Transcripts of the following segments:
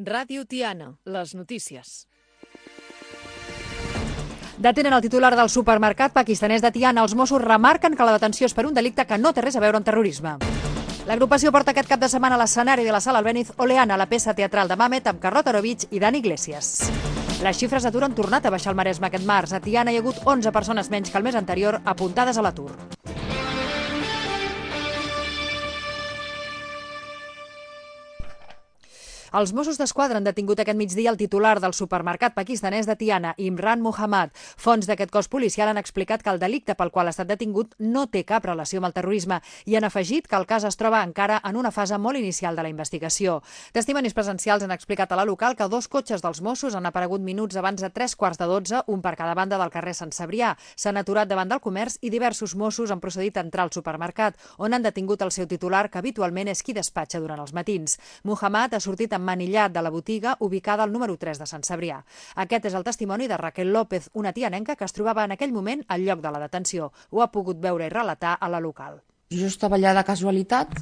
Ràdio Tiana, les notícies. Detenen el titular del supermercat pakistanès de Tiana. Els Mossos remarquen que la detenció és per un delicte que no té res a veure amb terrorisme. L'agrupació porta aquest cap de setmana a l'escenari de la Sala Albéniz Oleana, la peça teatral de Mamet amb Carlota Orovich i Dani Iglesias. Les xifres d'atur han tornat a baixar al Maresme aquest març. A Tiana hi ha hagut 11 persones menys que el mes anterior apuntades a l'atur. Els Mossos d'Esquadra han detingut aquest migdia el titular del supermercat pakistanès de Tiana, Imran Muhammad. Fonts d'aquest cos policial han explicat que el delicte pel qual ha estat detingut no té cap relació amb el terrorisme i han afegit que el cas es troba encara en una fase molt inicial de la investigació. Testimonis presencials han explicat a la local que 2 cotxes dels Mossos han aparegut minuts abans de 3:15, un per cada banda del carrer Sant Cebrià. S'han aturat davant del comerç i diversos Mossos han procedit a entrar al supermercat, on han detingut el seu titular, que habitualment és qui despatxa durant els matins. Muhammad ha sortit emmanillat de la botiga ubicada al número 3 de Sant Cebrià. Aquest és el testimoni de Raquel López, una tianenca que es trobava en aquell moment al lloc de la detenció. Ho ha pogut veure i relatar a la local. Jo estava allà de casualitat.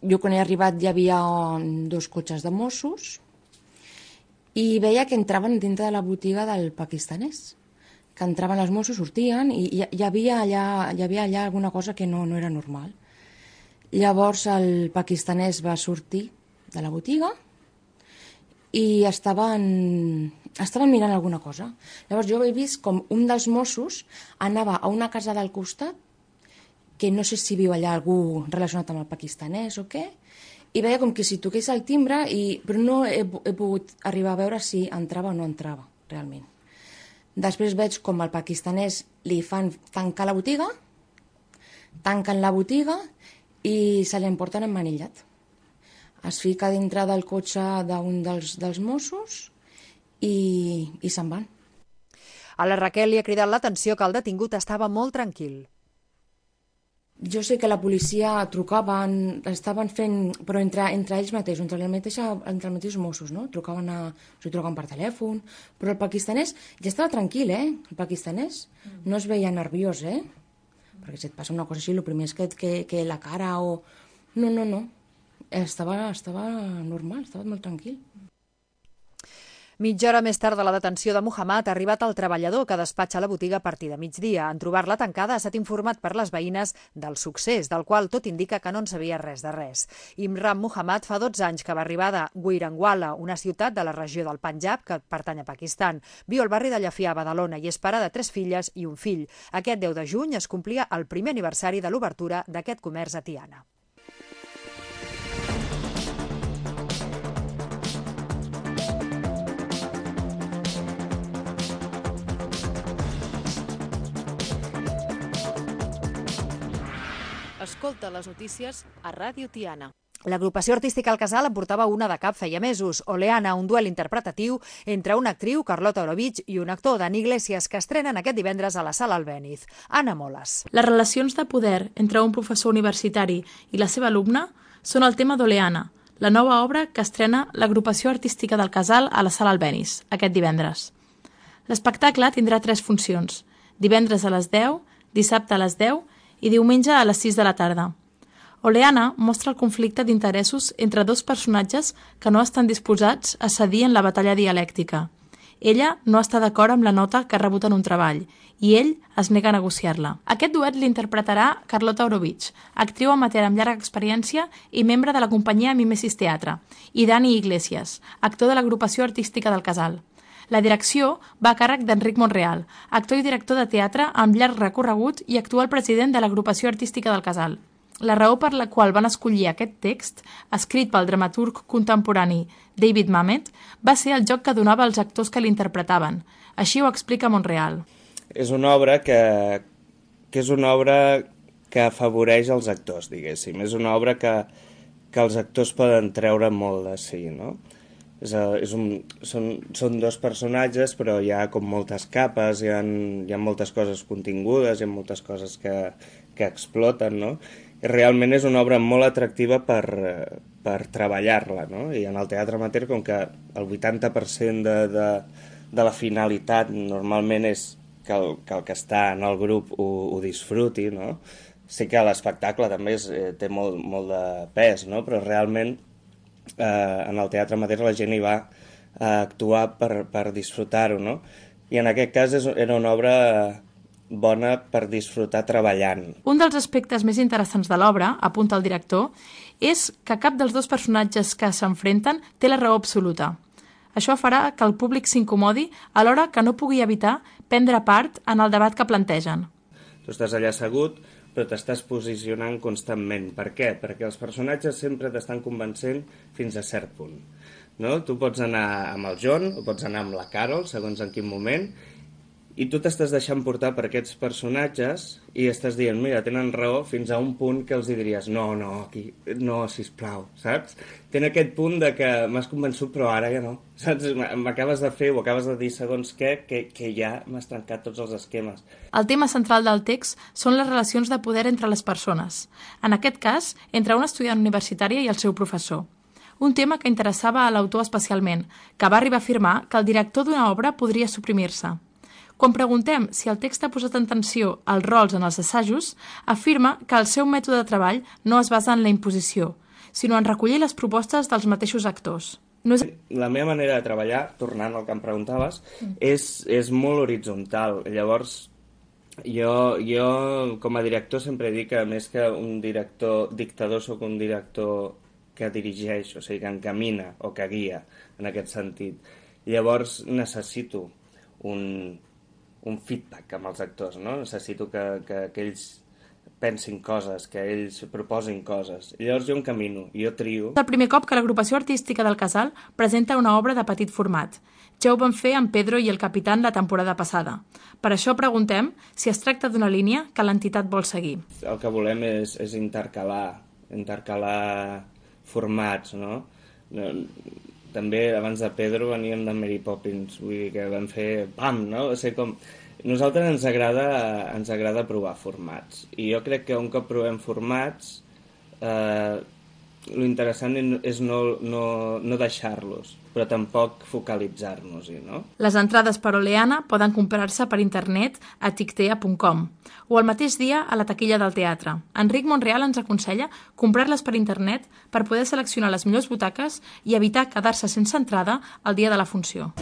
Jo quan he arribat hi havia 2 cotxes de Mossos i veia que entraven dintre de la botiga del pakistanès. Que entraven els Mossos, sortien i hi havia allà alguna cosa que no era normal. Llavors el pakistanès va sortir de la botiga i estaven mirant alguna cosa. Llavors jo he vist com un dels Mossos anava a una casa del costat, que no sé si viu allà algú relacionat amb el pakistanès o què, i veia com que si toqués el timbre, però no he pogut arribar a veure si entrava o no entrava, realment. Després veig com el pakistanès li fan tancar la botiga, tanquen la botiga i se l'emporten emmanillat. Es fica dintre del cotxe d'un dels Mossos i se'n van. A la Raquel li ha cridat l'atenció que el detingut estava molt tranquil. Jo sé que la policia trucaven, estaven fent, però entre ells mateixos, entre els mateixos Mossos, no? Trucaven per telèfon, però el pakistanès ja estava tranquil, El pakistanès no es veia nerviós, Perquè si et passa una cosa així, el primer és que la cara o... No. Estava normal, estava molt tranquil. Mitja hora més tard de la detenció de Muhammad ha arribat el treballador que despatxa la botiga a partir de migdia. En trobar-la tancada ha estat informat per les veïnes del succés, del qual tot indica que no en sabia res de res. Imran Muhammad fa 12 anys que va arribar de Gujranwala, una ciutat de la regió del Panjab que pertany a Pakistan. Viu al barri de Llafià, a Badalona, i és pare de 3 filles i un fill. Aquest 10 de juny es complia el primer aniversari de l'obertura d'aquest comerç a Tiana. Escolta les notícies a Ràdio Tiana. L'agrupació artística El Casal en portava una de cap feia mesos, Oleana, un duel interpretatiu entre una actriu, Carlota Orovich, i un actor, Dani Iglesias, que estrenen aquest divendres a la Sala Albéniz. Anna Moles. Les relacions de poder entre un professor universitari i la seva alumna són el tema d'Oleana, la nova obra que estrena l'agrupació artística del Casal a la Sala Albéniz, aquest divendres. L'espectacle tindrà 3 funcions, divendres a les 10, dissabte a les 10 i diumenge a les 6 de la tarda. Oleana mostra el conflicte d'interessos entre 2 personatges que no estan disposats a cedir en la batalla dialèctica. Ella no està d'acord amb la nota que ha rebut en un treball i ell es nega a negociar-la. Aquest duet l'interpretarà Carlota Orovich, actriu amateur amb llarga experiència i membre de la companyia Mimesis Teatre, i Dani Iglesias, actor de l'agrupació artística del Casal. La direcció va a càrrec d'Enric Monreal, actor i director de teatre amb llarg recorregut i actual president de l'agrupació artística del Casal. La raó per la qual van escollir aquest text, escrit pel dramaturg contemporani David Mamet, va ser el joc que donava als actors que l'interpretaven. Així ho explica Monreal. És una obra que afavoreix els actors, diguéssim. És una obra que els actors poden treure molt de si, no? Són 2 personatges, però hi ha com moltes capes, hi ha moltes coses contingudes, hi ha moltes coses que exploten, no? I realment és una obra molt atractiva per treballar-la, no? I en el teatre amateur, com que el 80% de la finalitat normalment és que el que està en el grup ho disfruti, no? Sí que l'espectacle també té molt de pes, no? Però realment en el teatre mateix la gent hi va a actuar per disfrutar-ho, no? I en aquest cas era una obra bona per disfrutar treballant. Un dels aspectes més interessants de l'obra, apunta el director, és que cap dels dos personatges que s'enfrenten té la raó absoluta. Això farà que el públic s'incomodi alhora que no pugui evitar prendre part en el debat que plantegen. Tu estàs allà assegut, però t'estàs posicionant constantment. Per què? Perquè els personatges sempre t'estan convencent fins a cert punt. No? Tu pots anar amb el John o pots anar amb la Carol, segons en quin moment, i tu t'estàs deixant portar per aquests personatges i estàs dient, mira, tenen raó, fins a un punt que els diries, no, aquí, no, sisplau, saps? Tenen aquest punt de que m'has convençut, però ara ja no, saps? M'acabes de fer o acabes de dir segons què, que ja m'has trencat tots els esquemes. El tema central del text són les relacions de poder entre les persones. En aquest cas, entre un estudiant universitari i el seu professor. Un tema que interessava a l'autor especialment, que va arribar a afirmar que el director d'una obra podria suprimir-se. Quan preguntem si el text ha posat en tensió els rols en els assajos, afirma que el seu mètode de treball no es basa en la imposició, sinó en recollir les propostes dels mateixos actors. La meva manera de treballar, tornant al que em preguntaves, és molt horitzontal. Llavors, jo com a director sempre dic que més que un director dictador soc un director que dirigeix, o sigui, que encamina o que guia en aquest sentit. Llavors necessito un feedback amb els actors, no? Necessito que ells pensin coses, que ells proposin coses. Llavors jo encamino, jo trio. És el primer cop que l'agrupació artística del Casal presenta una obra de petit format. Ja ho van fer amb Pedro i el Capitán la temporada passada. Per això preguntem si es tracta d'una línia que l'entitat vol seguir. El que volem és intercalar formats, no? També, abans de Pedro, veníem de Mary Poppins, vull dir que vam fer pam, no? O sigui, com... Nosaltres ens agrada provar formats. I jo crec que un cop provem formats, lo interessant és no deixar-los, però tampoc focalitzar-nos-hi, no? Les entrades per Oleana poden comprar-se per internet a tictea.com o el mateix dia a la taquilla del teatre. Enric Monreal ens aconsella comprar-les per internet per poder seleccionar les millors butaques i evitar quedar-se sense entrada el dia de la funció.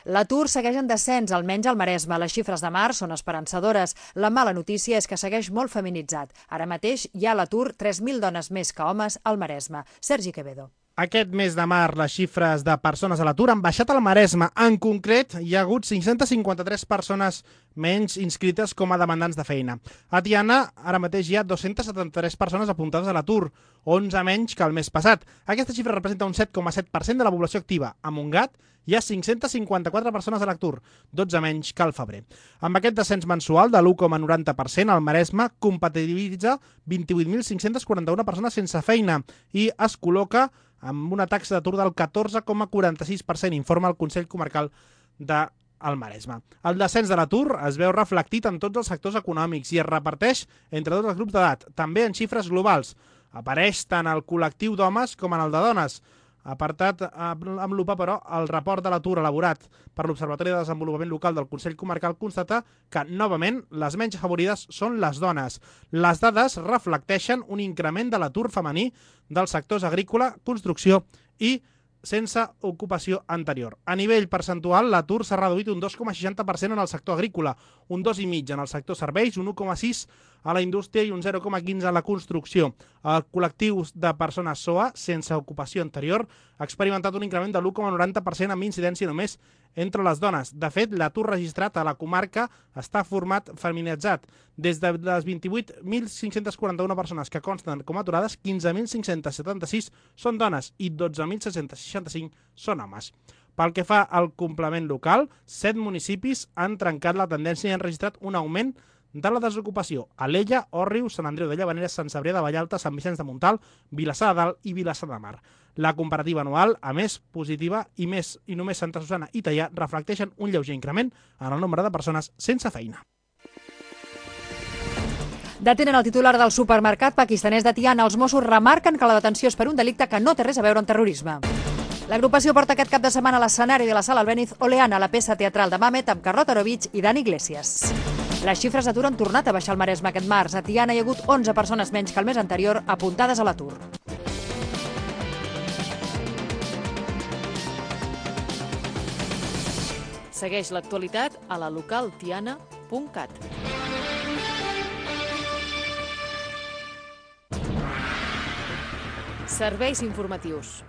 L'atur segueix en descens, almenys al Maresme. Les xifres de març són esperançadores. La mala notícia és que segueix molt feminitzat. Ara mateix hi ha a l'atur 3.000 dones més que homes al Maresme. Sergi Quevedo. Aquest mes de març, les xifres de persones a l'atur han baixat al Maresme. En concret, hi ha hagut 553 persones menys inscrites com a demandants de feina. A Tiana, ara mateix hi ha 273 persones apuntades a l'atur, 11 menys que el mes passat. Aquesta xifra representa un 7,7% de la població activa. A Montgat hi ha 554 persones a l'atur, 12 menys que al febrer. Amb aquest descens mensual de l'1,90%, el Maresme compatibilitza 28.541 persones sense feina i es col·loca amb una taxa d'atur del 14,46%, informa el Consell Comarcal del Maresme. El descens de l'atur es veu reflectit en tots els sectors econòmics i es reparteix entre tots els grups d'edat, també en xifres globals. Apareix tant el col·lectiu d'homes com en el de dones. Apartat amb lupa, però, el report de l'atur elaborat per l'Observatori de Desenvolupament Local del Consell Comarcal constata que, novament, les menys afavorides són les dones. Les dades reflecteixen un increment de l'atur femení dels sectors agrícola, construcció i sense ocupació anterior. A nivell percentual, l'atur s'ha reduït un 2,60% en el sector agrícola, un 2,5% en el sector serveis, un 1,6% a la indústria i un 0,15% a la construcció. El col·lectiu de persones SOA, sense ocupació anterior, ha experimentat un increment de l'1,90% amb incidència només entre les dones. De fet, l'atur registrat a la comarca està format feminitzat. Des de les 28.541 persones que consten com a aturades, 15.576 són dones i 12.665 són homes. Pel que fa al complement local, 7 municipis han trencat la tendència i han registrat un augment de la desocupació. Alella, Òrrius, Sant Andreu de Llavaneres, Sant Cebrià de Vallalta, Sant Vicenç de Montalt, Vilassar de Dalt i Vilassar de Mar. La comparativa anual, a més positiva, i només Santa Susana i Teià reflecteixen un lleuger increment en el nombre de persones sense feina. Detenen el titular del supermercat pakistanès de Tiana. Els Mossos remarquen que la detenció és per un delicte que no té res a veure amb terrorisme. L'agrupació porta aquest cap de setmana a l'escenari de la Sala Albéniz Oleana, la peça teatral de Mamet amb Carlota Arovich i Dani Iglesias. Les xifres d'atur han tornat a baixar al Maresme aquest març. A Tiana hi ha hagut 11 persones menys que el mes anterior apuntades a l'atur. Segueix l'actualitat a la localtiana.cat. Serveis informatius.